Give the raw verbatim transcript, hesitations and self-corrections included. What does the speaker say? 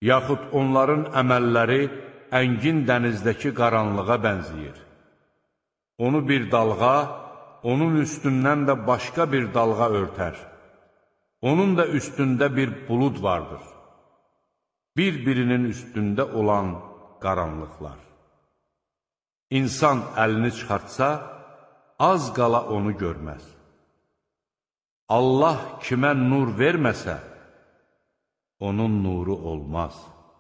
Yaxud onların əməlləri əngin dənizdəki qaranlığa bənzəyir. Onu bir dalğa, onun üstündən də başqa bir dalğa örtər. Onun da üstündə bir bulud vardır. Bir-birinin üstündə olan qaranlıqlar. İnsan əlini çıxartsa, az qala onu görməz. Allah kimə nur verməsə, onun nuru olmaz.